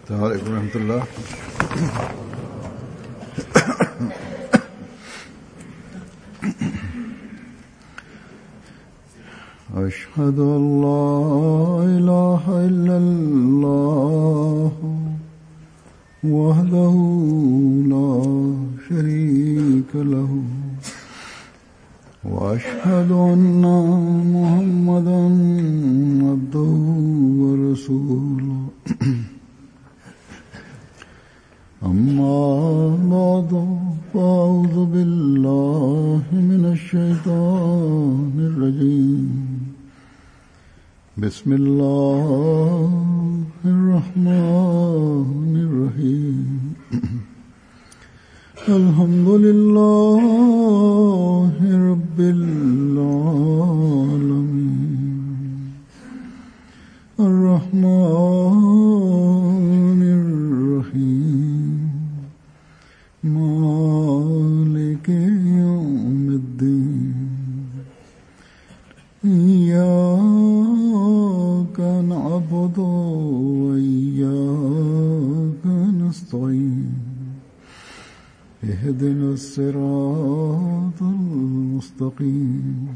السلام عليكم ورحمة الله. أشهد أن لا إله إلا الله وحده لا شريك له وأشهد أن محمدا عبده ورسوله أما بعد فأعوذ بالله من الشيطان الرجيم بسم الله الرحمن الرحيم الحمد لله رب العالمين الرحمن الرحيم مالك يوم الدين إياك نعبد وإياك نستعين اهدنا الصراط المستقيم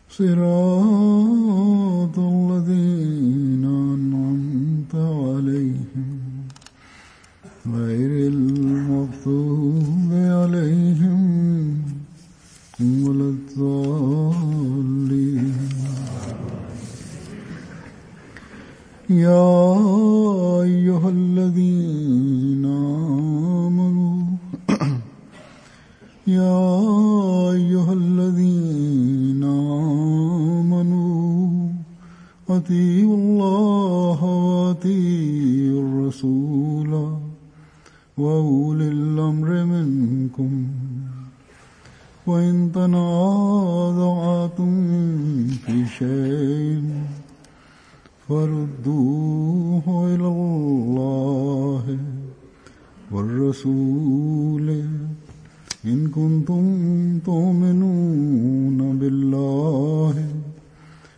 صراط الذين أنعمت عليهم غير المغضوب عليهم ولا الضالين. يا أيها الذين آمنوا يا أيها الذين آمنوا أطيعوا الله وأطيعوا الرسول وأولي الأمر منكم وإن تنازعتم في شيء فردوه إلى الله والرسول إن كنتم تؤمنون بالله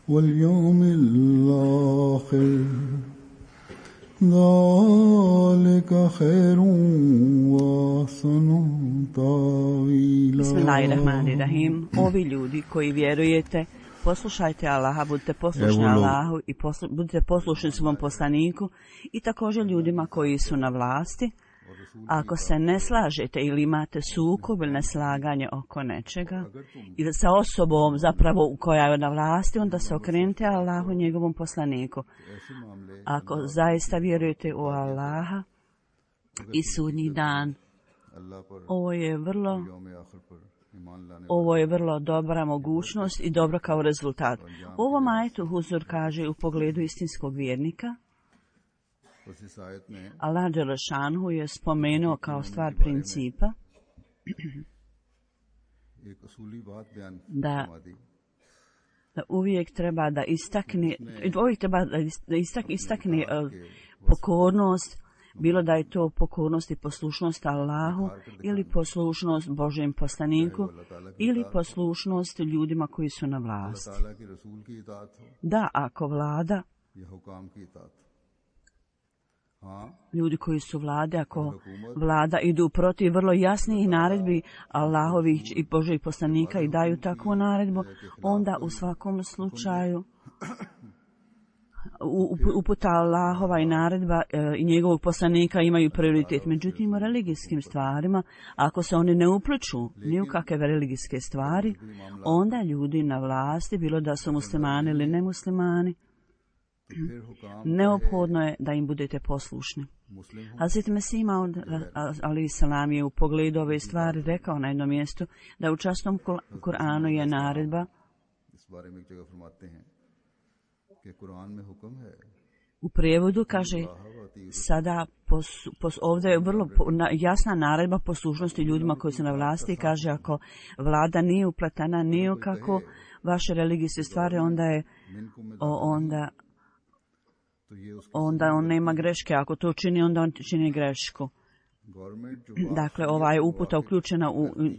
واليوم الآخر ذلك خير وأحسن تأويلا. Bismillahirrahmanirrahim. Ovi ljudi koji vjerujete, poslušajte Allaha, budite poslušni Allahu i budite poslušni svom poslaniku i također ljudima koji su na vlasti. Ako se ne slažete ili imate sukob ili neslaganje oko nečega ili sa osobom zapravo koja je na vlasti, onda se okrenite Allahu i njegovom poslaniku. Ako zaista vjerujete u Allaha i sudnji dan, ovo je vrlo dobra mogućnost i dobro kao rezultat. U ovom ajetu Huzur kaže u pogledu istinskog vjernika, Allah Đelešanhu je spomenuo kao stvar principa da uvijek treba da istakne pokornost, bilo da je to pokornost i poslušnost Allahu ili poslušnost Božjem poslaniku ili poslušnost ljudima koji su na vlasti. Da, ako vlada, ljudi koji su vlade, ako vlada idu protiv vrlo jasnih naredbi Allahovih i Božjih poslanika i daju takvu naredbu, onda u svakom slučaju uputa Allahova i naredba i njegovog poslanika imaju prioritet. Međutim, u religijskim stvarima, ako se oni ne upliču ni u kakve religijske stvari, onda ljudi na vlasti, bilo da su muslimani ili nemuslimani, neophodno je da im budete poslušni. Hazret Mesih Maud alejhi selam je u pogledu ove stvari rekao na jednom mjestu da u časnom Kur'anu je naredba. U prijevodu kaže sada ovdje je vrlo jasna naredba poslušnosti ljudima koji su na vlasti i kaže ako vlada nije upletena nije kako vaše religijske stvari, onda on nema greške. Ako to čini, onda on čini grešku. Dakle, ova je uputa uključena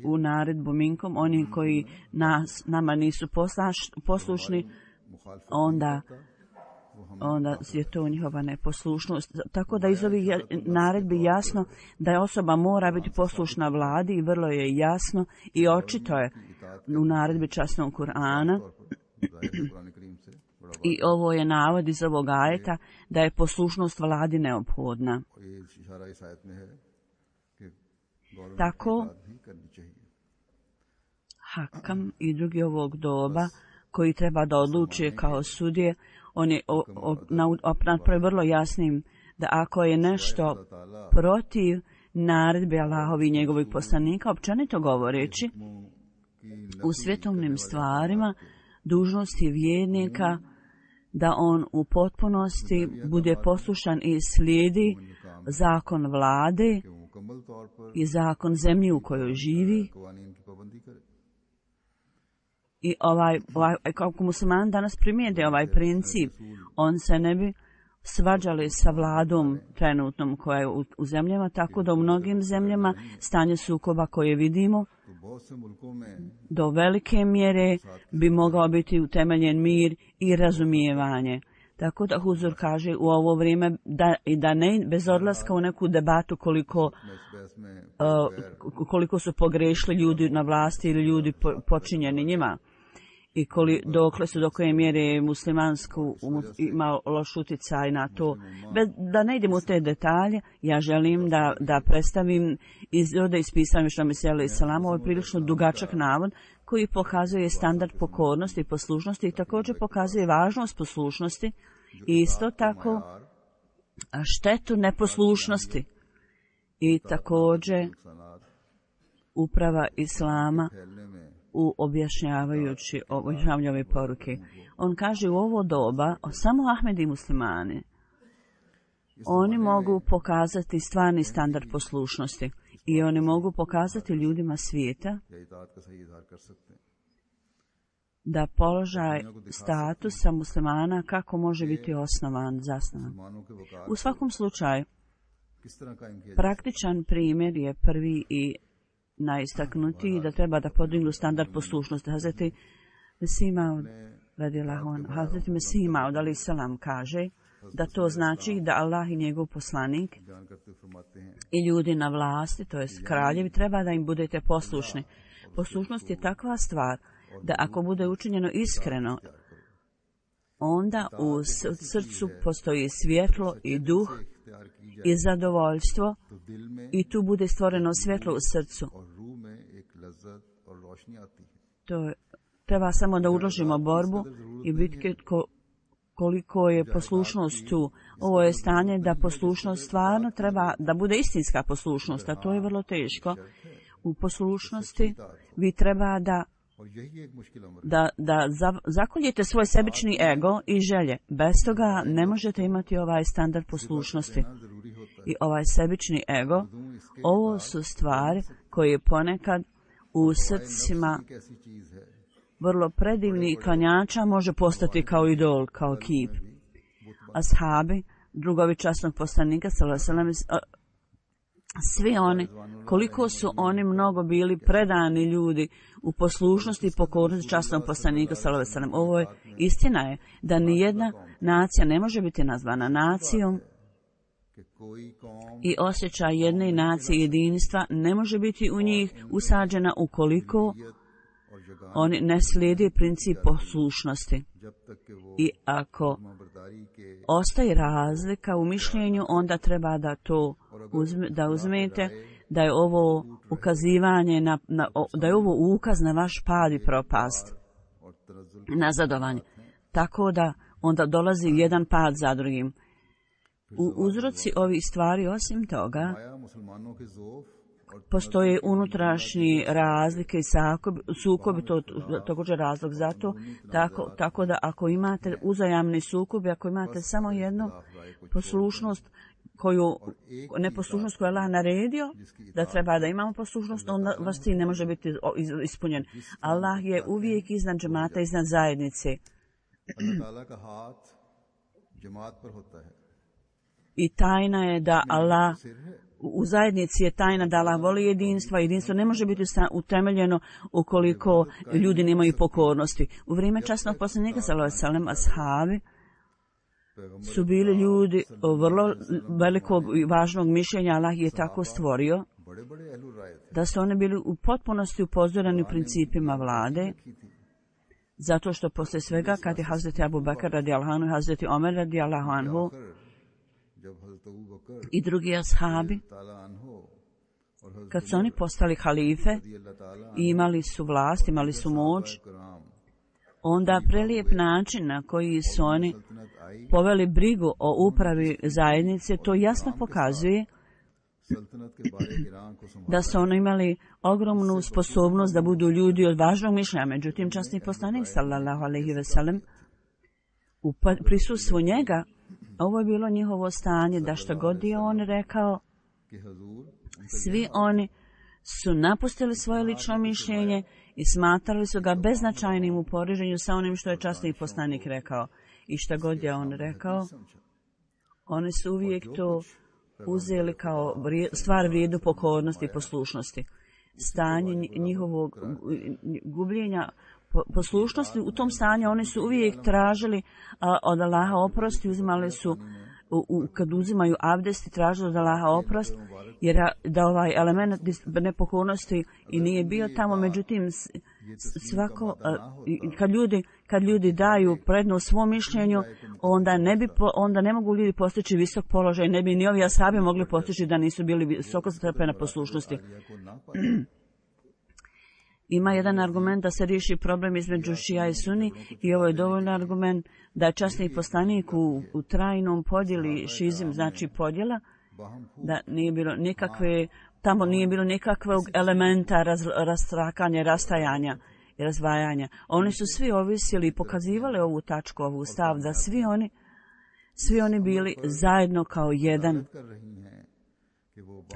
u naredbu minkom. Oni koji nama nisu poslušni, onda onda je to njihova neposlušnost. Tako da iz ovih naredbi jasno da osoba mora biti poslušna vladi i vrlo je jasno i očito je u naredbi časnog Kur'ana. I ovo je navod iz ovog ajeta da je poslušnost vladi neophodna. Tako Hakam i drugi ovog doba koji treba da odlučuje kao sudije, on je napravi vrlo jasnim da ako je nešto protiv naredbe Allahovi i njegovih poslanika, općenito govoreći, u svjetovnim stvarima dužnost je vjernika da on u potpunosti bude poslušan i slijedi zakon vlade i zakon zemlje u kojoj živi. I kako muslimani danas primijede ovaj princip, on se ne bi svađali sa vladom trenutnom koja je u zemljama, tako da u mnogim zemljama stanje sukoba koje vidimo do velike mjere bi mogao biti utemeljen mir i razumijevanje. Tako da Huzur kaže u ovo vrijeme da ne bez odlaska u neku debatu koliko su pogrešili ljudi na vlasti ili ljudi počinjeni njima i do koje mjere muslimansku ima loš utjecaj na to. Da ne idem u te detalje, ja želim da predstavim ovdje ispisam što mi se jeli salam, ovo je prilično dugačak navod koji pokazuje standard pokornosti i poslušnosti i također pokazuje važnost poslušnosti i isto tako štetu neposlušnosti i također uprava Islama u objašnjavajući ove poruke. On kaže u ovo doba samo Ahmedi muslimani oni mogu pokazati stvarni standard poslušnosti i oni mogu pokazati ljudima svijeta da položaj statusa muslimana kako može biti zasnovan. U svakom slučaju, praktičan primjer je prvi i najistaknutiji da treba da podignu standard poslušnosti. Hazreti Mesih Maud alejhi selam kaže da to znači da Allah i njegov poslanik i ljudi na vlasti, to jest kraljevi, treba da im budete poslušni. Poslušnost je takva stvar da ako bude učinjeno iskreno, onda u srcu postoji svjetlo i duh i zadovoljstvo i tu bude stvoreno svjetlo u srcu. To treba samo da uložimo borbu i bitke koliko je poslušnost tu. Ovo je stanje da poslušnost stvarno treba da bude istinska poslušnost, a to je vrlo teško. U poslušnosti vi treba da zakoljete svoj sebični ego i želje. Bez toga ne možete imati ovaj standard poslušnosti. I ovaj sebični ego, ovo su stvari koje ponekad u srcima vrlo predivni klanjača može postati kao idol, kao kip. Ashabi, drugovi časnog poslanika, svi oni, koliko su oni mnogo bili predani ljudi u poslušnosti i pokornosti časnog poslanika, ovo je istina je da nijedna nacija ne može biti nazvana nacijom i osjećaj jedne nacije jedinstva ne može biti u njih usađena ukoliko oni ne slijede princip poslušnosti. I ako ostaje razlika u mišljenju, onda treba da uzmete da je ovo ukazivanje da je ovo ukaz na vaš pad i propast, nazadovanje. Tako da onda dolazi jedan pad za drugim. U uzroci ovih stvari, osim toga, postoje unutrašnji razlike i sukobi, to također razlog za to, tako da ako imate uzajamni sukobi, ako imate samo jednu poslušnost, neposlušnost koju je Allah naredio, da treba da imamo poslušnost, onda vaš cilj ne može biti ispunjen. Allah je uvijek iznad džemata, iznad zajednice. I tajna je da Allah, u zajednici je tajna da Allah voli jedinstva. Jedinstvo ne može biti utemeljeno ukoliko ljudi nemaju pokornosti. U vrijeme časnog poslanika, sallallahu alejhi ve sellem, ashabi su bili ljudi vrlo velikog i važnog mišljenja. Allah je tako stvorio da su oni bili u potpunosti upozoreni principima vlade, zato što poslije svega kad je Hazreti Abu Bakr radijallahu anhu, Hazreti Omer radijallahu anhu i drugi ashabi, kad su oni postali halife i imali su vlast, imali su moć, onda prelijep način na koji su oni poveli brigu o upravi zajednice, to jasno pokazuje da su oni imali ogromnu sposobnost da budu ljudi od važnog mišljenja. Međutim, časni poslanik sallallahu alejhi ve sellem u prisustvu njega, ovo je bilo njihovo stanje, da što god je on rekao, svi oni su napustili svoje lično mišljenje i smatrali su ga beznačajnim u poređenju sa onim što je časni poslanik rekao. I što god je on rekao, oni su uvijek to uzeli kao stvar vrijednu pokornosti i poslušnosti. Stanje njihovog gubljenja poslušnosti, u tom stanju oni su uvijek tražili od Allaha oprost i uzimali su, kad uzimaju abdest i tražili od Allaha oprost, jer da ovaj element nepokornosti i nije bio tamo. Međutim, svako, kad ljudi daju prednost svom mišljenju, onda ne mogu ljudi postići visok položaj, ne bi ni ovi ashabi mogli postići da nisu bili visoko stepena poslušnosti. Ima jedan argument da se riješi problem između šija i suni i ovo je dovoljno argument da je časni poslanik u trajnom podjeli šizim, znači podjela, da nije bilo nikakve, tamo nije bilo nikakvog elementa rastrakanja, rastajanja i razdvajanja. Oni su svi ovisili i pokazivali ovu tačku, ovu stav, da svi oni bili zajedno kao jedan.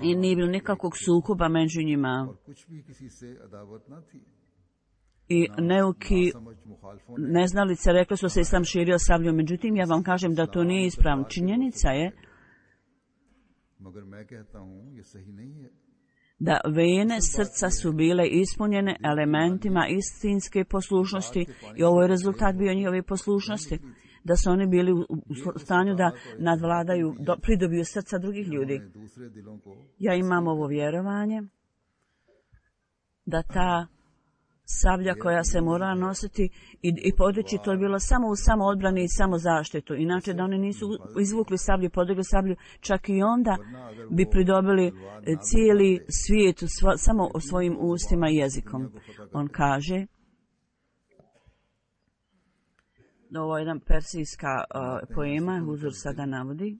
I nije bilo nikakvog sukoba među njima. I neuki neznalice rekli su se islam širio sabljom. Međutim, ja vam kažem da to nije ispravno. Činjenica je da vene srca su bile ispunjene elementima istinske poslušnosti i ovo je rezultat bio njihove poslušnosti. Da su oni bili u stanju da nadvladaju, pridobiju srca drugih ljudi. Ja imam ovo vjerovanje da ta sablja koja se mora nositi i podići, to je bilo samo u samoodbrani i samozaštitu. Inače da oni nisu izvukli sablju, podigli sablju, čak i onda bi pridobili cijeli svijet samo o svojim ustima i jezikom. On kaže, ovo je jedan persijska poema, Huzur sada navodi,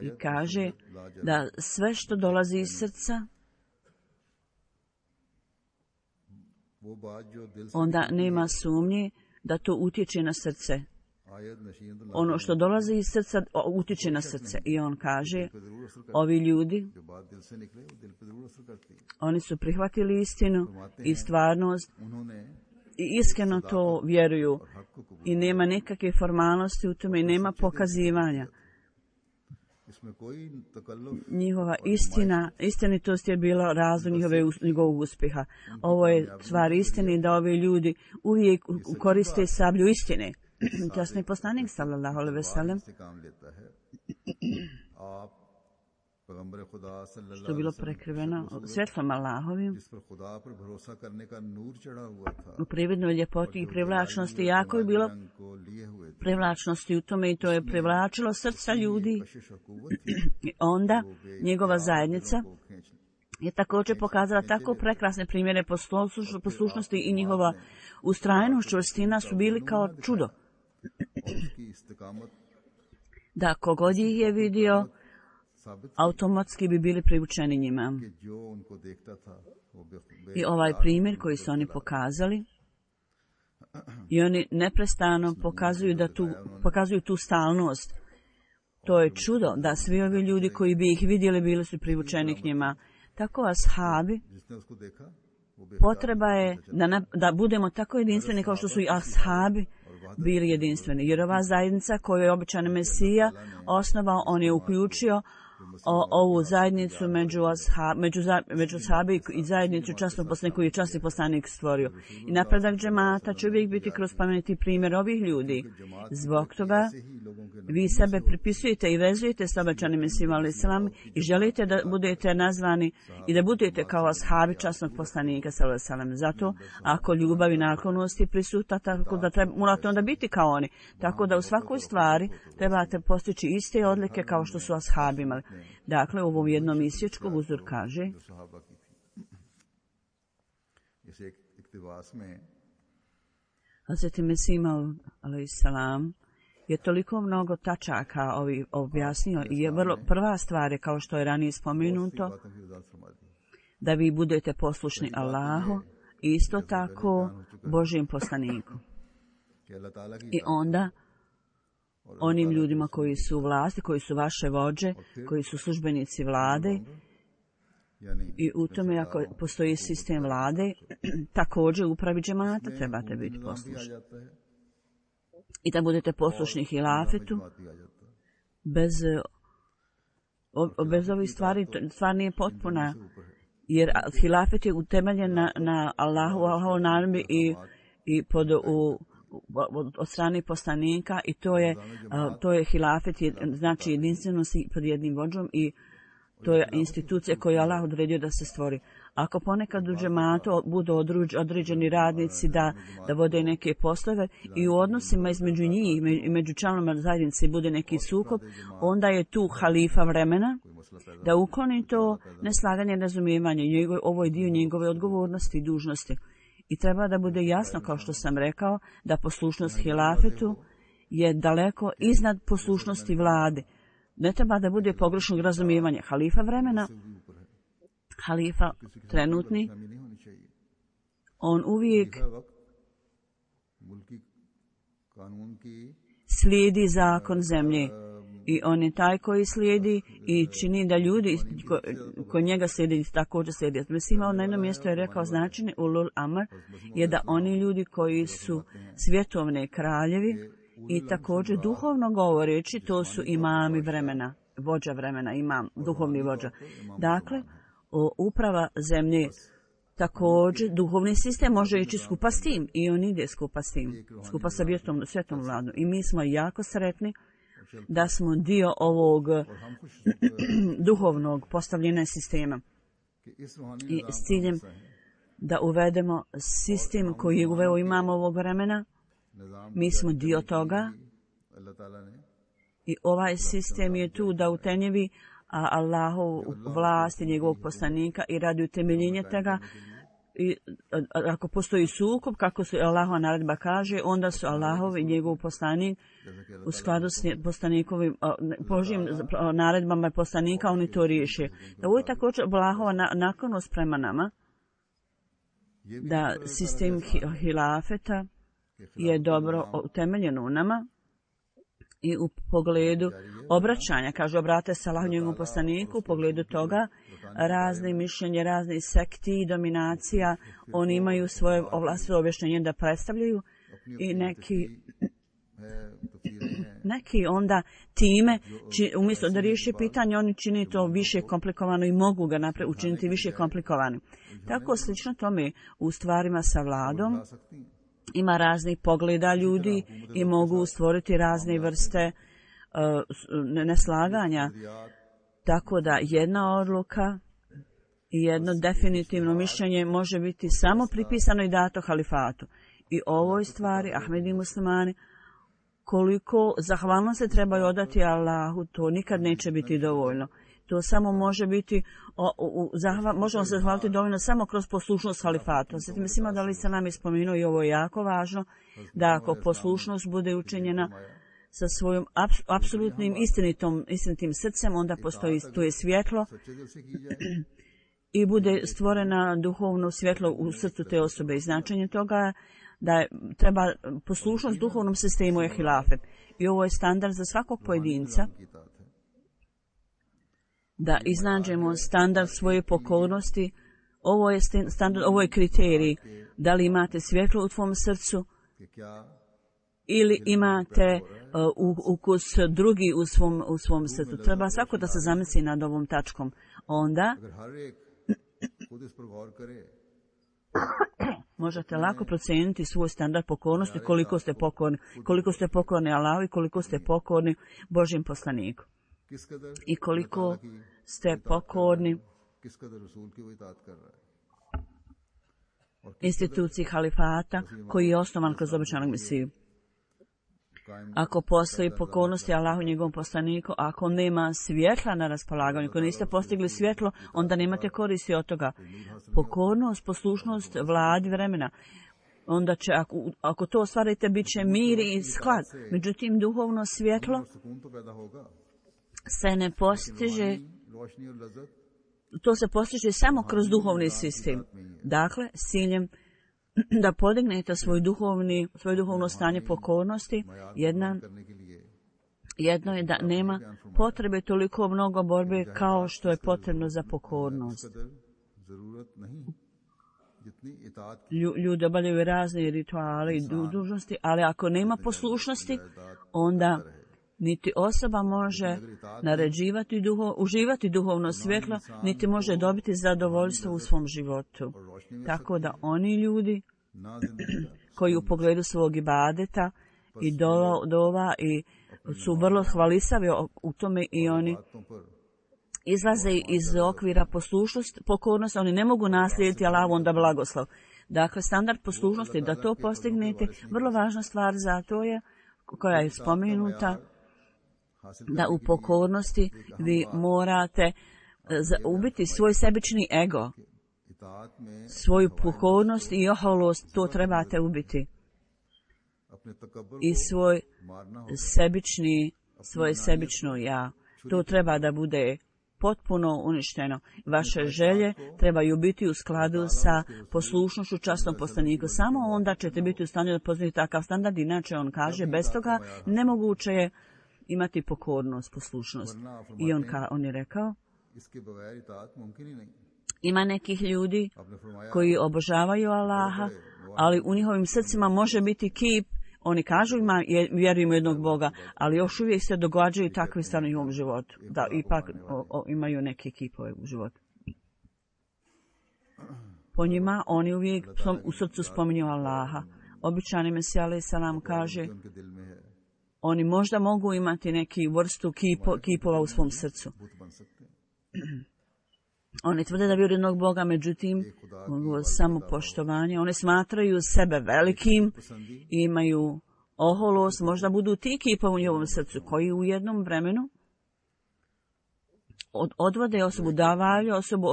i kaže da sve što dolazi iz srca, onda nema sumnje da to utječe na srce. Ono što dolazi iz srca utječe na srce. I on kaže, ovi ljudi, oni su prihvatili istinu i stvarnost i iskreno to vjeruju i nema nikakve formalnosti u tome i nema pokazivanja. Njihova istinitost je bila razlog njegovog uspjeha. Ovo je stvar istine da ovi ljudi uvijek koriste sablju istine. Časni poslanik sallallahu alejhi ve sellem, što je bilo prekriveno svjetlom Allahovim, u prividnoj ljepoti i privlačnosti, jako je bilo privlačnosti u tome i to je privlačilo srca ljudi. I onda njegova zajednica je također pokazala tako prekrasne primjere poslušnosti i njihova ustrajnost, čvrstina su bili kao čudo. Da kogod ih je vidio, automatski bi bili privučeni njima. I ovaj primjer koji su oni pokazali, i oni neprestano pokazuju tu stalnost. To je čudo da svi ovi ljudi koji bi ih vidjeli bili su privučeni k njima. Tako ashabi, potreba je da budemo tako jedinstveni kao što su i ashabi bili jedinstveni. Jer ova zajednica koju je obećani Mesija osnovao, on je uključio ovu zajednicu među sahabi i zajednicu časnog poslanika koji je časni poslanik stvorio. I napredak džemata će uvijek biti kroz spomenuti primjer ovih ljudi. Zbog toga vi sebe pripisujete i vezujete s obećanim Mesijom alejhi selam i želite da budete nazvani i da budete kao ashabi časnog poslanika alejhi selam. Zato ako ljubav i naklonost je prisutna, tako da morate onda biti kao oni. Tako da u svakoj stvari trebate postići iste odlike kao što su ashabi imali. Dakle, u ovom jednom isječku uzor kaže Hazreti Mesih alejhi selam je toliko mnogo tačaka objasnio i je vrlo prva stvar je, kao što je ranije spomenuto, da vi budete poslušni Allahu i isto tako Božjem poslaniku. I onda onim ljudima koji su u vlasti, koji su vaše vođe, koji su službenici vlade, i u tome ako postoji sistem vlade, također upravi džemata trebate biti poslušni. I da budete poslušni hilafetu, bez ovih stvari, stvar nije potpuna, jer hilafet je utemeljen na Allahu naredbi i od strane poslanika, i to je hilafet, znači jedinstvenost pod jednim vođom, i to je institucija koju je Allah odredio da se stvori. Ako ponekad u džematu budu određeni radnici da vode neke poslove i u odnosima između njih i među članovima zajednice bude neki sukob, onda je tu halifa vremena da ukloni to neslaganje, razumijevanje. Ovo je dio njegove odgovornosti i dužnosti. I treba da bude jasno, kao što sam rekao, da poslušnost hilafetu je daleko iznad poslušnosti vlade. Ne treba da bude pogrešnog razumijevanja. Halifa vremena, halifa trenutni, on uvijek slijedi zakon zemlje. I on je taj koji slijedi i čini da ljudi koji njega slijedi također slijedi. Mislim, na jednom mjestu je rekao značenje ulul amr je da oni ljudi koji su svjetovne kraljevi i također duhovno govoreći, to su imami vremena, vođa vremena, imam, duhovni vođa. Dakle, uprava zemlje, također duhovni sistem može ići skupa s tim i on ide skupa s tim, skupa sa svjetom vladom. I mi smo jako sretni da smo dio ovog duhovnog postavljena sistema i s ciljem da uvedemo sistem koji je uveo imam ovog vremena. Mi smo dio toga i ovaj sistem je tu da utenjevi Allahov vlast i njegovog poslanika i radi utemeljenja toga. I ako postoji sukob, kako se Allahova naredba kaže, onda su Allahov i njegov poslanik u skladu s poslanikovim Božjim naredbama poslanika, oni to riješe. Da ovo je također Allahova naklonost prema nama, da sistem hilafeta je dobro utemeljen u nama i u pogledu obraćanja, kaže obrate se Allahu njegovom poslaniku, u pogledu toga razne mišljenje, razne sekti i dominacija, oni imaju svoje vlastno objašnjenje da predstavljaju i neki onda time, umjesto da riješe pitanje, oni čine to više komplikovano i mogu ga učiniti više komplikovanim. Tako slično tome u stvarima sa vladom ima raznih pogleda ljudi i mogu stvoriti razne vrste neslaganja. Tako da jedna odluka i jedno definitivno mišljenje može biti samo pripisano i dato halifatu. I ovoj stvari, Ahmedi muslimani, koliko zahvalno se trebaju odati Allahu, to nikad neće biti dovoljno. To samo može biti, možemo se zahvaliti dovoljno samo kroz poslušnost halifatu. Sada mislimo da li se nam je spomenuo i ovo je jako važno, da ako poslušnost bude učinjena sa svojim apsolutnim istinitim srcem, onda postoji tu je svjetlo i bude stvorena duhovno svjetlo u srcu te osobe. I značenje toga da treba poslušnost duhovnom sistemu je hilafet. I ovo je standard za svakog pojedinca, da iznađemo standard svoje pokornosti. Ovo je standard, ovo je kriterij. Da li imate svjetlo u tvom srcu ili imate ukus drugi u svom srcu. Treba svako da se zamisli nad ovom tačkom. Onda možete lako procijeniti svoj standard pokornosti, koliko ste pokorni Allahu i koliko ste pokorni Božjem poslaniku. I koliko ste pokorni instituciji halifata koji je osnovan kroz obećanog Mesiju. Ako postoji pokornosti Allahu i njegovom poslaniku, ako nema svjetla na raspolaganju, ako niste postigli svjetlo, onda nemate koristi od toga. Pokornost, poslušnost vladi vremena. Onda će, ako to ostvarite, bit će mir i sklad. Međutim, duhovno svjetlo se ne postiže, to se postiže samo kroz duhovni sistem. Dakle, s ciljem da podignete svoje duhovno stanje pokornosti, jedno je da nema potrebe toliko mnogo borbe kao što je potrebno za pokornost. Ljudi obavljaju razne rituale i dužnosti, ali ako nema poslušnosti, onda niti osoba može uživati duhovno svjetlo, niti može dobiti zadovoljstvo u svom životu. Tako da oni ljudi koji u pogledu svog ibadeta i dova i su vrlo hvalisavi u tome i oni izlaze iz okvira pokornosti, oni ne mogu naslijediti Allahu onda blagoslov. Dakle, standard poslušnosti, da to postignete, vrlo važna stvar za to je, koja je spomenuta, da u pokornosti vi morate ubiti svoj sebični ego, svoju pokornost i oholost, to trebate ubiti. I svoje sebično ja, to treba da bude potpuno uništeno. Vaše želje trebaju biti u skladu sa poslušnošću časnom poslaniku. Samo onda ćete biti u stanju da poznate takav standard, inače on kaže, bez toga nemoguće je imati pokornost, poslušnost. I on je rekao, ima nekih ljudi koji obožavaju Allaha, ali u njihovim srcima može biti kip. Oni kažu vjerujemo jednog Boga, ali još uvijek se događaju takve stvari u ovom životu. Da, ipak imaju neke kipove u životu. Po njima oni uvijek u srcu spominju Allaha. Običani Mesija alejhi selam kaže, oni možda mogu imati neki vrstu kipova u svom srcu. Oni tvrde da vjeruju jednog Boga, međutim, samo poštovanje. Oni smatraju sebe velikim, imaju oholost, možda budu ti kipovi u njihovom srcu, koji u jednom vremenu odvode osobu, davaju osobu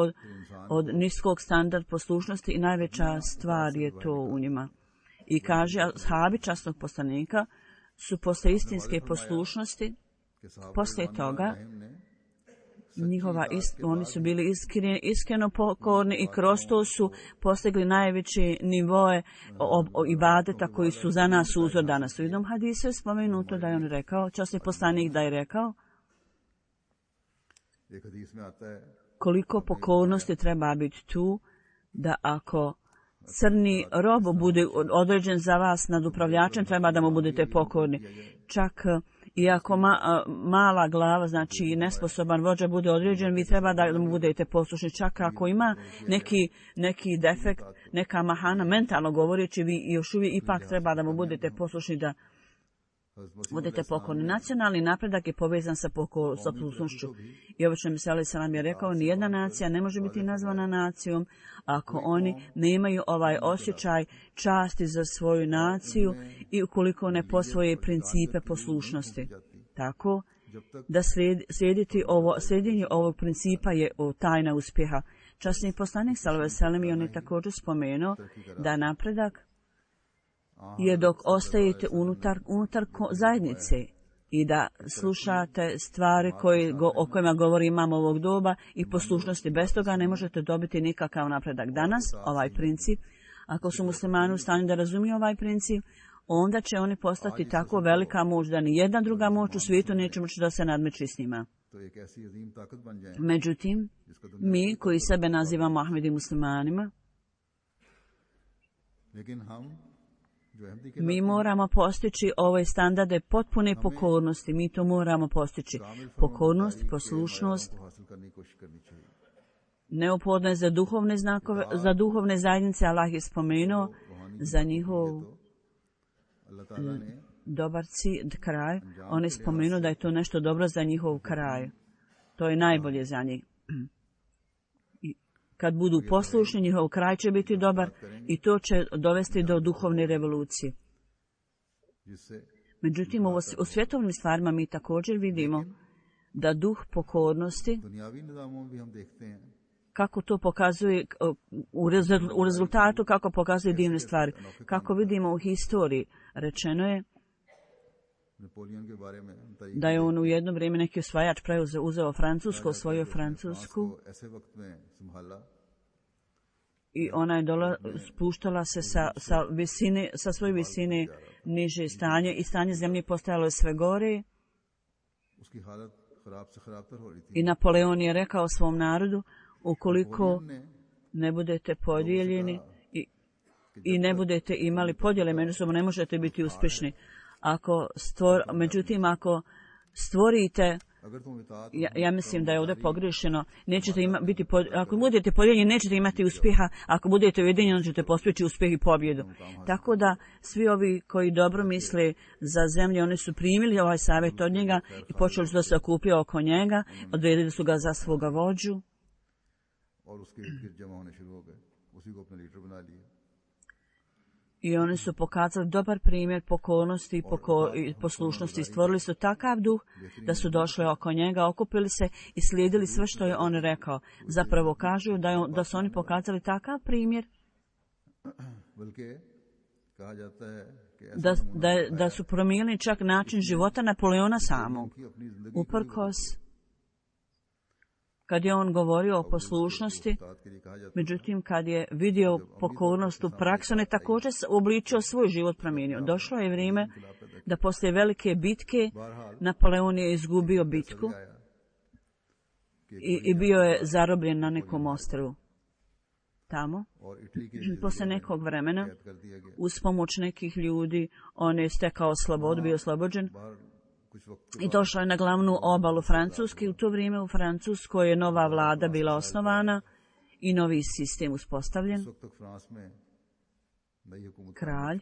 od niskog standarda poslušnosti i najveća stvar je to u njima. I kaže, ashabi časnog poslanika su posle istinske poslušnosti, poslije toga, oni su bili iskreno pokorni i kroz to su postigli najveće nivoe ibadeta koji su za nas uzor danas. U jednom hadisu je spomenuto da je on rekao, časni poslanik da je rekao, koliko pokornosti treba biti tu, da ako crni rob bude određen za vas nad upravljačem, treba da mu budete pokorni. Čak i ako mala glava, znači nesposoban vođa bude određen, vi treba da mu budete poslušni. Čak ako ima neki defekt, neka mahana, mentalno govoreći, vi još uvijek ipak treba da mu budete poslušni, da budete pokorni. Nacionalni napredak je povezan sa poslušnošću. I obično Mesija alejhi selam je rekao, nijedna nacija ne može biti nazvana nacijom ako oni nemaju ovaj osjećaj časti za svoju naciju i ukoliko ne posvoje principe poslušnosti. Tako da slijedjenje ovog principa je tajna uspjeha. Časni poslanik sallallahu alejhi ve sellem i on je također spomenuo da napredak je dok ostajete unutar zajednice i da slušate stvari o kojima govori imam ovog doba i poslušnosti. Bez toga ne možete dobiti nikakav napredak. Danas ovaj princip, ako su muslimani u stanju da razumiju ovaj princip, onda će oni postati tako velika moć da ni jedna druga moć u svijetu neće moći da se nadmeći s njima. Međutim, mi koji sebe nazivamo Ahmedi muslimanima, Mi moramo postići ove standarde potpune pokornosti. Mi to moramo postići. Pokornost, poslušnost, neophodno je za duhovne znakove, za duhovne zajednice. Allah je spomenuo za njihov dobar kraj. On je spomenuo da je to nešto dobro za njihov kraj. To je najbolje za njih. Kad budu poslušni, njihov kraj će biti dobar i to će dovesti do duhovne revolucije. Međutim, u svjetovnim stvarima mi također vidimo da duh pokornosti, kako to pokazuje u rezultatu, kako pokazuje divne stvari. Kako vidimo u historiji, rečeno je da je on u jedno vrijeme neki osvajač uzeo Francusku, osvojio Francusku i ona je spuštala se sa svoje visine niže stanje i stanje zemlje postajalo je sve gore. I Napoleon je rekao svom narodu, ukoliko ne budete podijeljeni i ne budete imali podjele međusobno, ne možete biti uspješni. Međutim, ako stvorite, ja mislim da je ovdje pogrešeno, ako budete podijeljeni, nećete imati uspjeha, ako budete ujedinjeni, ćete postići uspjeh i pobjedu. Tako da svi ovi koji dobro misle za zemlju, oni su primili ovaj savjet od njega i počeli su da se okupio oko njega, odredili su ga za svoga vođu. I oni su pokazali dobar primjer pokornosti i poslušnosti. Stvorili su takav duh da su došli oko njega, okupili se i slijedili sve što je on rekao. Zapravo kažu da su oni pokazali takav primjer da su promijenili čak način života Napoleona samog. Uprkos, kad je on govorio o poslušnosti, međutim kad je vidio pokornost u praksi, on je također obličio svoj život promijenio. Došlo je vrijeme da poslije velike bitke Napoleon je izgubio bitku i bio je zarobljen na nekom ostrvu. Tamo, poslije nekog vremena, uz pomoć nekih ljudi, on je stekao slobodu, bio oslobođen. I došla je na glavnu obalu Francuske. U to vrijeme u Francuskoj je nova vlada bila osnovana i novi sistem uspostavljen. Kralj,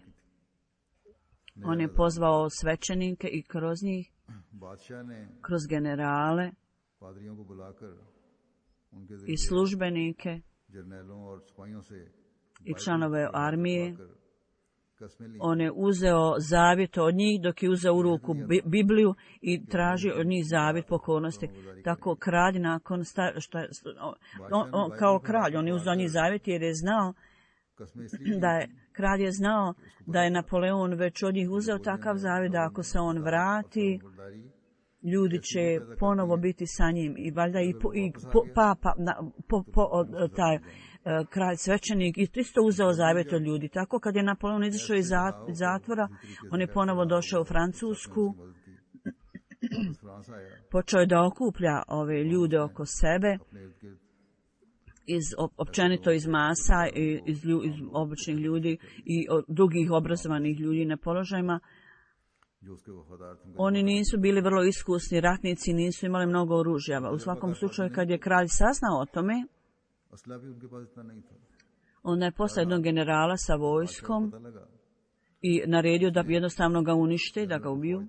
on je pozvao svećenike i kroz njih, kroz generale i službenike i članove armije. On je uzeo zavjet od njih dok je uzeo u ruku Bibliju i tražio od njih zavjet pokornosti. Tako kralj nakon kao kralj, on je uzeo njih zavjet jer je znao kralj je znao da je Napoleon već od njih uzeo takav zavjet da ako se on vrati, ljudi će ponovo biti sa njim i valjda papa, taj kralj svećenik i isto uzeo zavjet od ljudi. Tako kad je Napoleon izašao iz zatvora, on je ponovo došao u Francusku, počeo je da okuplja ove ljude oko sebe, općenito iz masa, iz običnih ljudi i drugih obrazovanih ljudi na položajima. Oni nisu bili vrlo iskusni ratnici, nisu imali mnogo oružja. U svakom slučaju, kad je kralj saznao o tome, onda je poslao jednog generala sa vojskom i naredio da jednostavno ga unište, da ga ubiju,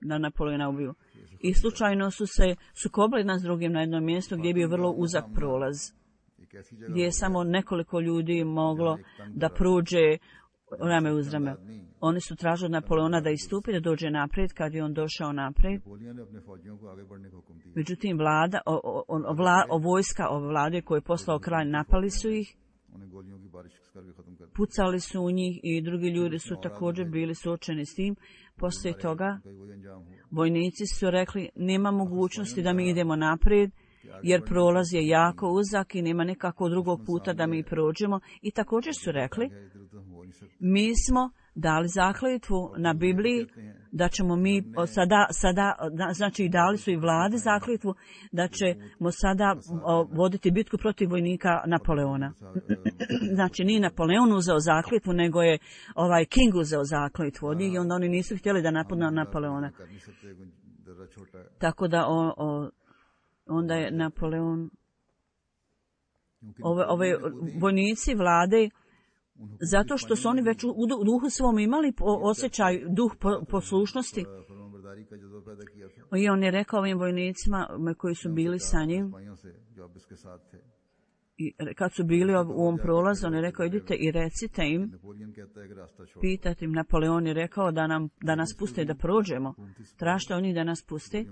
da Napoleona ubiju. I slučajno su se sukobili nas drugim na jednom mjestu gdje je bio vrlo uzak prolaz, gdje je samo nekoliko ljudi moglo da prođe rame uz rame. Oni su tražili od Napoleona da istupi, da dođe naprijed. Kad je on došao naprijed, međutim vojska ove vlade koju je poslao kralj, napali su ih, pucali su u njih i drugi ljudi su također bili suočeni s tim. Poslije toga vojnici su rekli, nema mogućnosti da mi idemo naprijed, jer prolaz je jako uzak i nema nekakvog drugog puta da mi prođemo. I također su rekli, mi smo dali zakletvu na Bibliji da ćemo mi znači dali su i vladi zakletvu da ćemo sada voditi bitku protiv vojnika Napoleona. Znači nije Napoleon uzeo zakletvu, nego je King uzeo zakletvu od njih i onda oni nisu htjeli da napadnu Napoleona. Tako da onda je Napoleon, ove vojnici vlade, zato što su oni već u duhu svom imali osjećaj, duh poslušnosti. I on je rekao ovim vojnicima koji su bili sa njim, i kad su bili u ovom prolazu, on je rekao idite i recite im, pitajte im, Napoleon je rekao da nas puste da prođemo. Tražite oni da nas puste.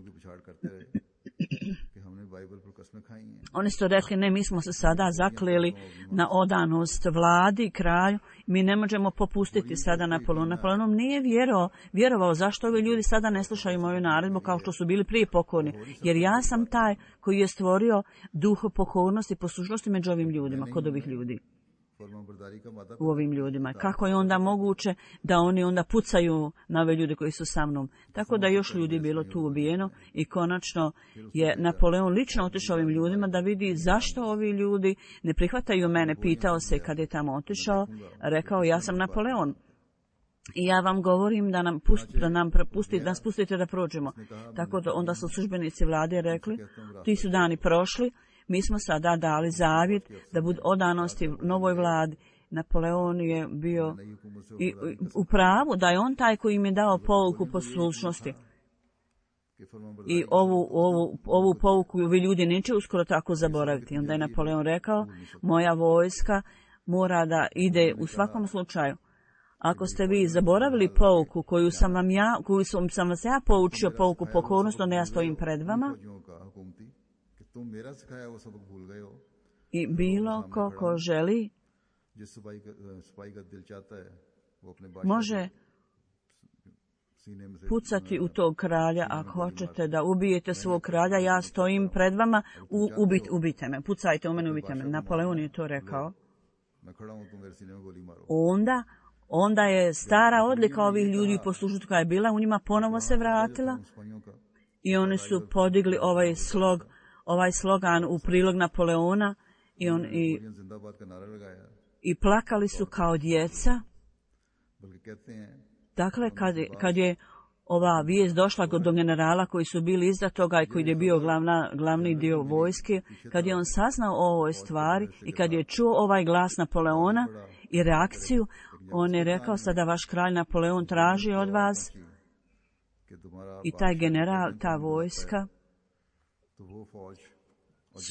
Oni su rekli, ne, mi smo se sada zakleli na odanost vladi, kralju, mi ne možemo popustiti sada Napoleonu. Napoleonom nije vjerovao zašto ovi ljudi sada ne slušaju moju naredbu kao što su bili prije pokorni. Jer ja sam taj koji je stvorio duh pokornosti i poslušnosti među ovim ljudima, kod ovih ljudi. U ovim ljudima. Kako je onda moguće da oni onda pucaju na ove ljude koji su sa mnom? Tako da još ljudi bilo tu ubijeno i konačno je Napoleon lično otišao ovim ljudima da vidi zašto ovi ljudi ne prihvataju mene. Pitao se kad je tamo otišao, rekao ja sam Napoleon. I ja vam govorim da nas pustite da prođemo. Tako da onda su službenici vlade rekli, ti su dani prošli, mi smo sada dali zavjet da budu odanosti novoj vladi. Napoleon je bio u pravu da je on taj koji im je dao pouku poslušnosti. I ovu pouku vi ljudi neće uskoro tako zaboraviti. Onda je Napoleon rekao, moja vojska mora da ide u svakom slučaju. Ako ste vi zaboravili pouku koju sam vas ja poučio, pouku pokornosti, onda ja stojim pred vama. I bilo ko želi može pucati u tog kralja. Ako hoćete da ubijete svog kralja, ja stojim pred vama, ubijte me, pucajte u mene, ubijte me. Napoleon je to rekao. Onda je stara odlika ovih ljudi poslušati koja je bila u njima ponovo se vratila i oni su podigli ovaj slogan u prilog Napoleona i plakali su kao djeca. Dakle, kad je ova vijest došla do generala koji su bili iza toga i koji je bio glavni dio vojske, kad je on saznao o ovoj stvari i kad je čuo ovaj glas Napoleona i reakciju, on je rekao, sada vaš kralj Napoleon traži od vas i taj general, ta vojska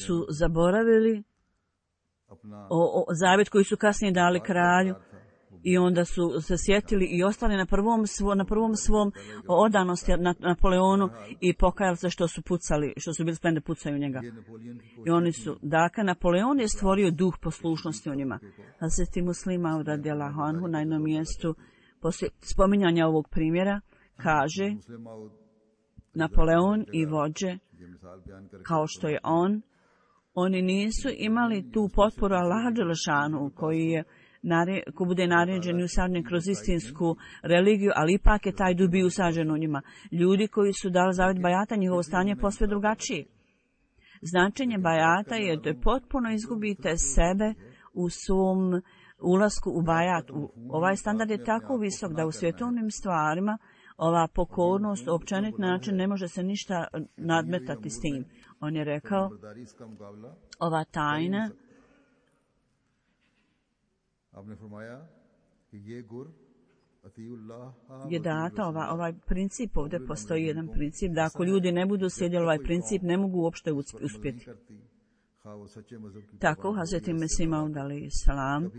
su zaboravili zavjet koji su kasnije dali kralju i onda su se sjetili i ostali na prvom svom odanosti Napoleonu i pokajali se što su bili spremni da pucaju njega. I oni su, dakle, Napoleon je stvorio duh poslušnosti u njima. Hazreti Muslima radijallahu anhu na jednom mjestu poslije spominjanja ovog primjera kaže Napoleon i vođe kao što je oni nisu imali tu potporu Allaha dželešanu koji bude naređen i usađen kroz istinsku religiju, ali ipak je taj duh bio usađen u njima. Ljudi koji su dali zavjet bajata, njihovo stanje je posve drugačije. Značenje bajata je da potpuno izgubite sebe u svom ulasku u bajat. Ovaj standard je tako visok da u svjetovnim stvarima ova pokornost, općenit način, ne može se ništa nadmetati s tim. On je rekao, ova tajna je data, ovaj princip, ovdje postoji jedan princip, da ako ljudi ne budu slijedili ovaj princip, ne mogu uopšte uspjeti. Tako, Hazreti Mesih Maud alejhi selam,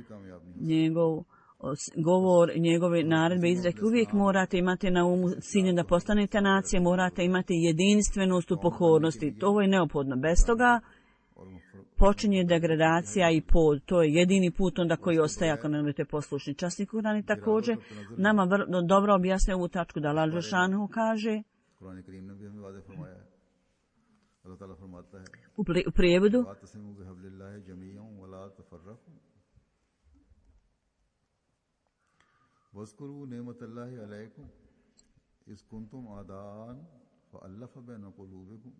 njegov govor, njegove naredbe izreke, uvijek morate imati na umu cilj da postanete nacije, morate imati jedinstvenost u pokornosti. To je neophodno. Bez toga počinje degradacija i pod. To je jedini put onda koji ostaje ako ne budete poslušni. Časni Kur'an i također nama dobro objasne ovu tačku da Allah dželešanu kaže u prijevodu إذ كنتم أعداء فألف بين قلوبكم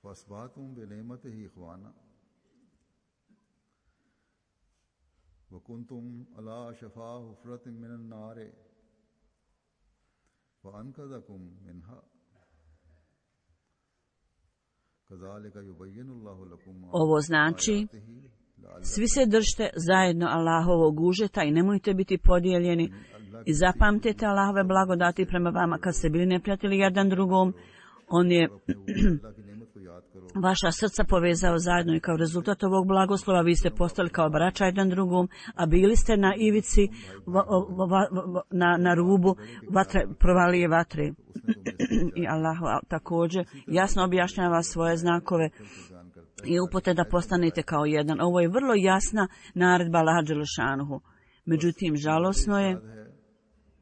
فأصبحتم بنعمته إخوانا وكنتم على شفا حفرة من النار فأنقذكم منها كذلك يبين الله لكم Ovo znači, svi se držite zajedno Allahovog užeta i nemojte biti podijeljeni i zapamtite Allahove blagodati prema vama kad ste bili neprijatelji jedan drugom. On je vaša srca povezao zajedno i kao rezultat ovog blagoslova vi ste postali kao braća jedan drugom, a bili ste na ivici, na rubu vatre, provalije vatre. I Allah također jasno objašnjava svoje znakove i upute da postanete kao jedan. Ovo je vrlo jasna naredba Allaha dželešanuhu. Međutim, žalosno je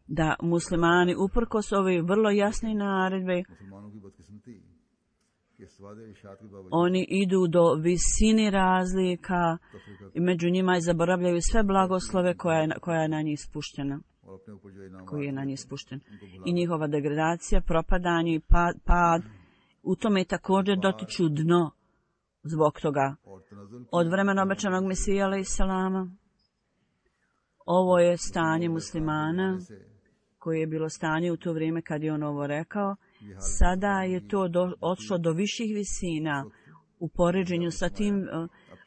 da muslimani uprkos ove vrlo jasne naredbe oni idu do visine razlika i među njima zaboravljaju sve blagoslove koja je na njih spuštena. Koji je na njih spušten. I njihova degradacija, propadanje i pad, u tome također dotiču dno zbog toga. Od vremena obećanog Mesija alejselama, ovo je stanje muslimana, koje je bilo stanje u to vrijeme kad je on ovo rekao. Sada je to odšlo do viših visina u poređenju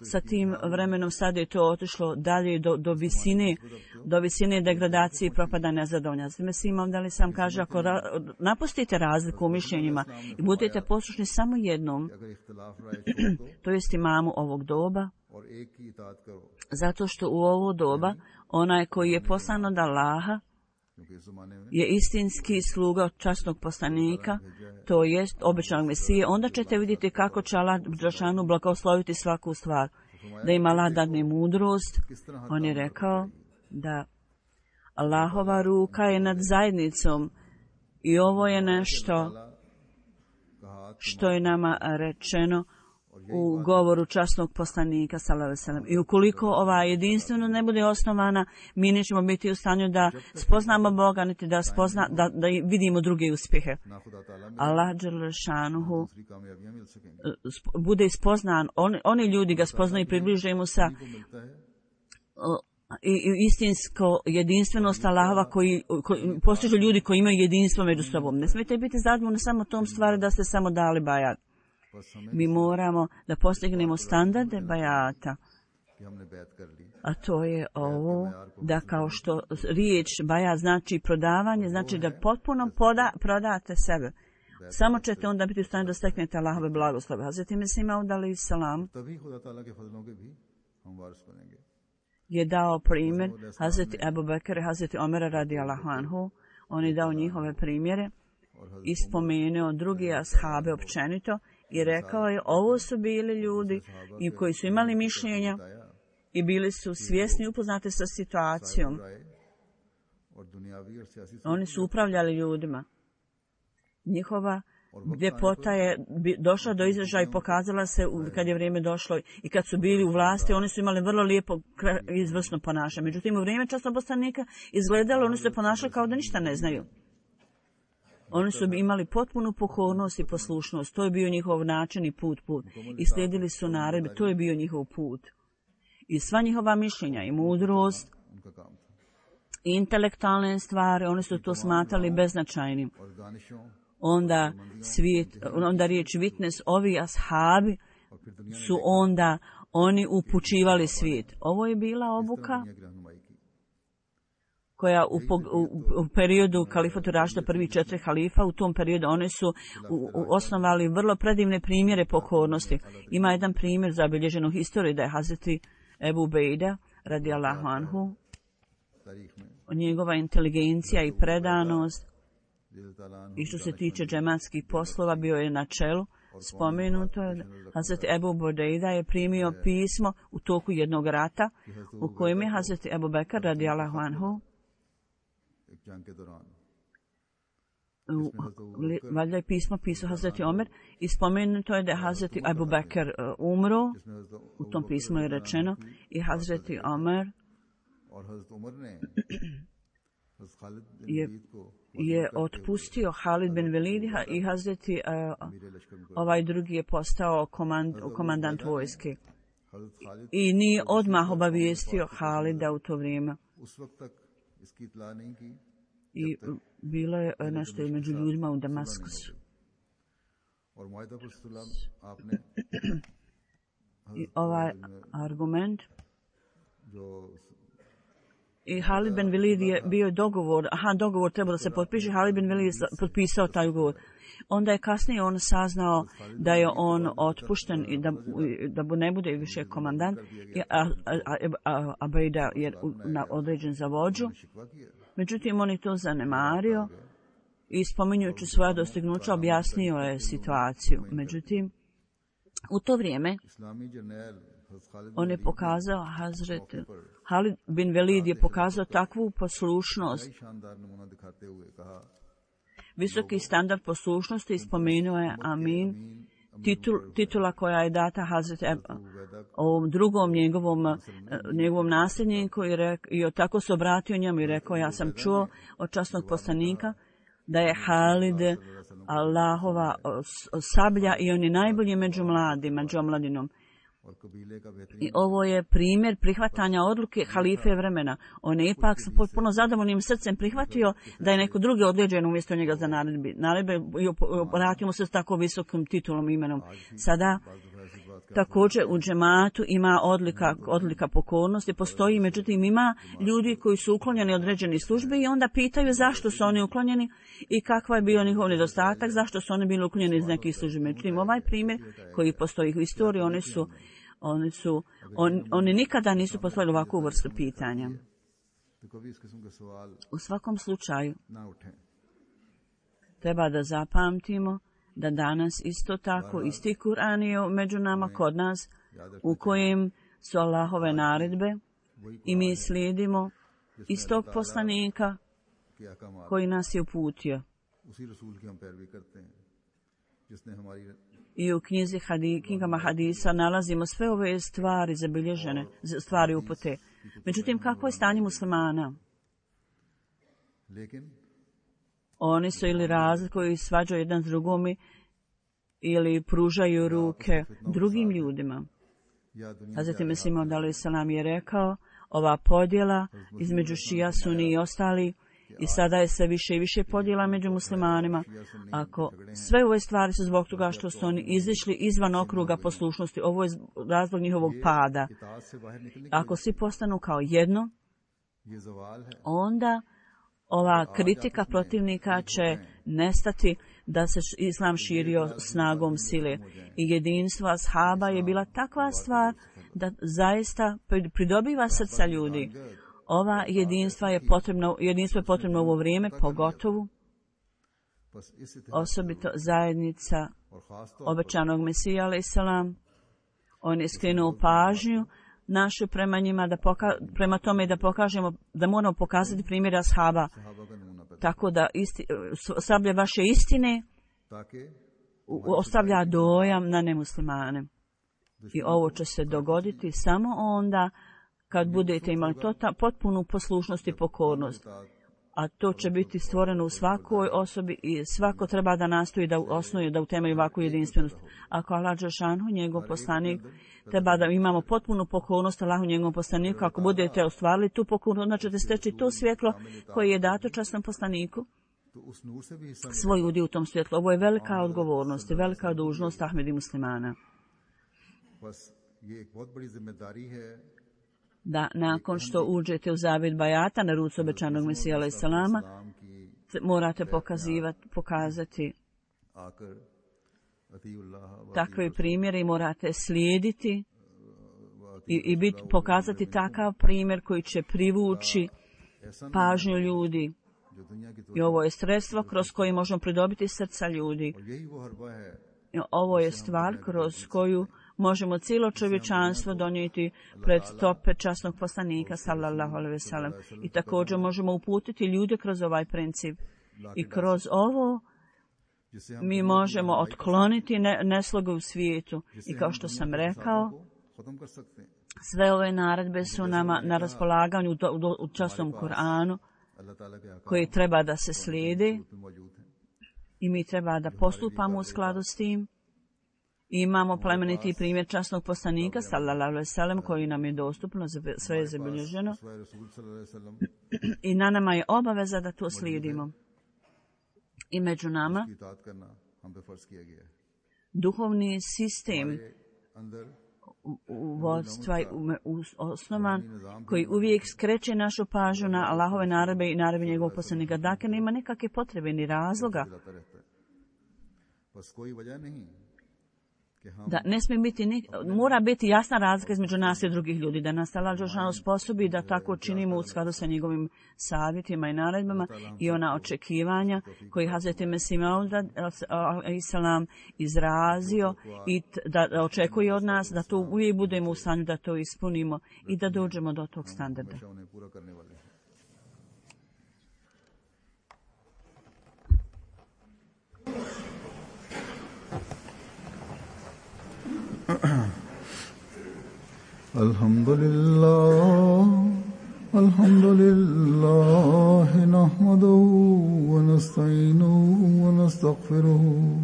sa tim vremenom. Sada je to otišlo dalje do visine degradacije i propadanja zadovolja. Mesija da li sam kaže, ako napustite razliku u mišljenjima i budete poslušni samo jednom, to jest imamu ovog doba, zato što u ovo doba onaj koji je poslan od Allaha je istinski sluga časnog poslanika, to jest obećanog Mesije, onda ćete vidjeti kako će Allah dželešanu blagosloviti svaku stvar. Da im Allah dadne mudrost. On je rekao da Allahova ruka je nad zajednicom i ovo je nešto što je nama rečeno u govoru časnog poslanika sallallahu alejhi ve sellem. I ukoliko ova jedinstveno ne bude osnovana, mi nećemo biti u stanju da spoznamo Boga, niti da vidimo druge uspjehe. Allah dželešanuhu bude ispoznan, oni ljudi ga spoznaju i približe mu sa i istinsko jedinstvenost Allahova koji postižu ljudi koji imaju jedinstvo među sobom. Ne smijete biti zadovoljni samo tom stvari da ste samo dali bajat. Mi moramo da postignemo standarde bajata. A to je ovo, da kao što riječ bajat znači prodavanje, znači da potpuno prodate sebe. Samo ćete onda biti u stanju da steknete Allahove blagoslove. Hazreti Mesih Maud alejselam je dao primjer Hazreti Ebu Bekra i Hazreti Omera radijallahu anhu. On je dao njihove primjere i spomenuo drugi ashabe općenito i rekao je, ovo su bili ljudi i koji su imali mišljenja i bili su svjesni, upoznati sa situacijom. Oni su upravljali ljudima. Njihova ljepota je došla do izražaja i pokazala se kad je vrijeme došlo i kad su bili u vlasti, oni su imali vrlo lijepo izvrsno ponašanje. Međutim, u vrijeme časnog poslanika izgledalo, oni su se ponašali kao da ništa ne znaju. Oni su imali potpunu pokornost i poslušnost. To je bio njihov način i put. I slijedili su naredbe. To je bio njihov put. I sva njihova mišljenja i mudrost i intelektualne stvari, oni su to smatrali beznačajnim. Onda riječ witness, ovi ashabi su onda oni upućivali svijet. Ovo je bila obuka koja u periodu kalifatu Rašida, prvi 4 halifa, u tom periodu oni su osnovali vrlo predivne primjere pokornosti. Ima jedan primjer zabilježen u historiji da je Hazreti Ebu Ubejda radijallahu anhu, njegova inteligencija i predanost i što se tiče džematskih poslova bio je na čelu. Spomenuto je Hazreti Ebu Ubejda je primio pismo u toku jednog rata u kojem je Hazreti Ebu Bekr radijallahu anhu valjda je pismo pisao Hazreti Omer i spomenuto je da je Hazreti Ebu Bekr umro, u tom pismu je rečeno, i Hazreti Omer je otpustio Halid bin Velida i Hazreti ovaj drugi je postao komandant vojske. I nije odmah obavijestio Halida u to vrijeme. I bilo je nešto među ljudima u Damaskusu. I ovaj argument i Halid bin Velid je bio dogovor trebao da se potpiše, Halid bin Velid je potpisao taj ugovor. Onda je kasnije on saznao da je on otpušten i da ne bude više komandant, a Bejda je određen za vođu. Međutim, on je to zanemario i spominjujući svoja dostignuća objasnio je situaciju. Međutim, u to vrijeme on je pokazao, Hazret Halid bin Velid je pokazao takvu poslušnost, visoki standard poslušnosti i spomenuo je Amin, titula koja je data Hazret ovom drugom njegovom nasljedniku i tako se obratio njemu i rekao, ja sam čuo od časnog poslanika da je Halid Allahova sablja i on je najbolji među omladinom. I ovo je primjer prihvatanja odluke halife vremena. On je ipak sa potpuno zadovoljnim srcem prihvatio da je neko drugi određen umjesto njega za naredbe i vratimo se s tako visokim titulom i imenom. Sada također u džematu ima odlika pokornosti, postoji, međutim ima ljudi koji su uklonjeni određeni službe i onda pitaju zašto su oni uklonjeni i kakva je bio njihov nedostatak, zašto su oni bili uklonjeni iz nekih službi. Međutim, ovaj primjer koji postoji u istoriji, oni nikada nisu poslali ovakvu vrstu pitanja. U svakom slučaju, treba da zapamtimo da danas isto tako isti Kur'an je među nama kod nas u kojem su Allahove naredbe i mi slijedimo istog poslanika koji nas je uputio. I u knjigama hadisa nalazimo sve ove stvari zabilježene, stvari upute. Međutim, kako je stanje muslimana? Oni su ili razlikuju i svađaju jedan s drugom ili pružaju ruke drugim ljudima. Hazreti Mesih Maud alejhi selam je rekao, ova podjela između šija, suni i ostali, i sada je sve više i više podjela među muslimanima. Ako sve ove stvari su zbog toga što su oni izišli izvan okruga poslušnosti, ovo je razlog njihovog pada. Ako svi postanu kao jedno, onda ova kritika protivnika će nestati da se islam širio snagom sile. I jedinstvo ashaba je bila takva stvar da zaista pridobiva srca ljudi. Ova jedinstvo je potrebno u ovo vrijeme, pogotovo osobito zajednica obećanog Mesija alejhi selam. On je skrenuo pažnju našu prema njima, prema tome da pokažemo, da moramo pokazati primjer ashaba, tako da sablja vaše istine ostavlja dojam na nemuslimane. I ovo će se dogoditi samo onda kad budete imali potpunu poslušnost i pokornost. A to će biti stvoreno u svakoj osobi i svako treba da nastoji da osnuje, da utemelji ovakvu jedinstvenost. Ako Allah dželešanu, njegov poslanik, treba da imamo potpunu pokornost Allahu njegovom poslaniku. Ako budete ostvarili tu pokornost, onda ćete steći to svjetlo koje je dato časnom poslaniku, svoj udi u tom svjetlu. Ovo je velika odgovornost i velika dužnost Ahmedi muslimana. Da nakon što uđete u zavjet bajata na ruci obećanog Mesija alejhi selama, morate pokazati takve primjere i morate slijediti i pokazati takav primjer koji će privući pažnju ljudi. I ovo je sredstvo kroz koje možemo pridobiti srca ljudi. I ovo je stvar kroz koju možemo cijelo čovječanstvo donijeti pred stope časnog poslanika sallallahu alejhi ve sellem. I također možemo uputiti ljude kroz ovaj princip. I kroz ovo mi možemo otkloniti nesloge u svijetu. I kao što sam rekao, sve ove naredbe su nama na raspolaganju u časnom Kur'anu. koji treba da se slijede i mi treba da postupamo u skladu s tim. I imamo plemeniti primjer časnog poslanika, sallallahu alejhi ve sellem, koji nam je dostupno, sve je zabilježeno. I na nama je obaveza da to slijedimo. I među nama duhovni sistem vodstva osnovan koji uvijek skreće našu pažnju na Allahove naredbe i naredbe njegovog poslanika. Dakle, nema nikakve potrebe ni razloga da ne smije biti, mora biti jasna razlika između nas i drugih ljudi, da nas Allah dželešanu sposobi da tako činimo u skladu sa njegovim savjetima i naredbama i ona očekivanja koji Hazreti Mesih Maud a.s. izrazio i da očekuje od nas da to uvijek budemo u stanju da to ispunimo i da dođemo do tog standarda. Alhamdulillah nahmaduhu wa nasta'inuhu wa nastaghfiruhu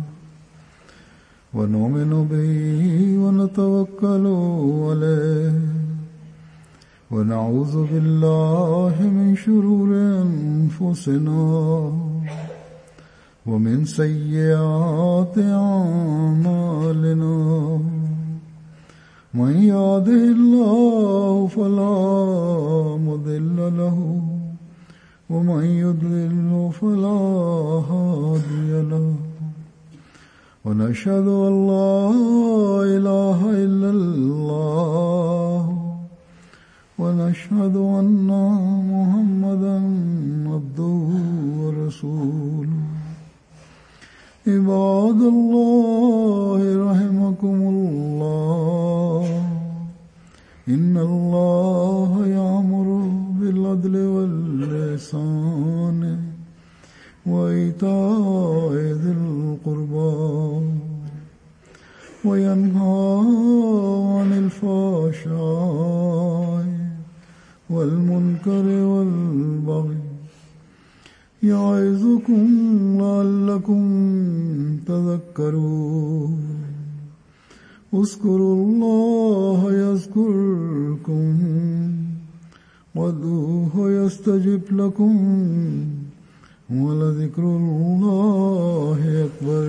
wa nu'minu bihi wa natawakkalu alayhi wa na'udhu billahi min shururi anfusina wa min sayyiati a'malina. من يهده الله فلا مضل له ومن يضلل فلا هادي له ونشهد أن لا إله إلا الله ونشهد أن محمدا عبده ورسوله. عباد الله رحمكم الله إن الله يأمر بالعدل والإحسان وإيتاء ذي القربى وينهى عن الفحشاء والمنكر والبغي يعظكم لعلكم تذكرون. اذكروا الله يذكركم وادعوه يستجب لكم ولذكر الله أكبر.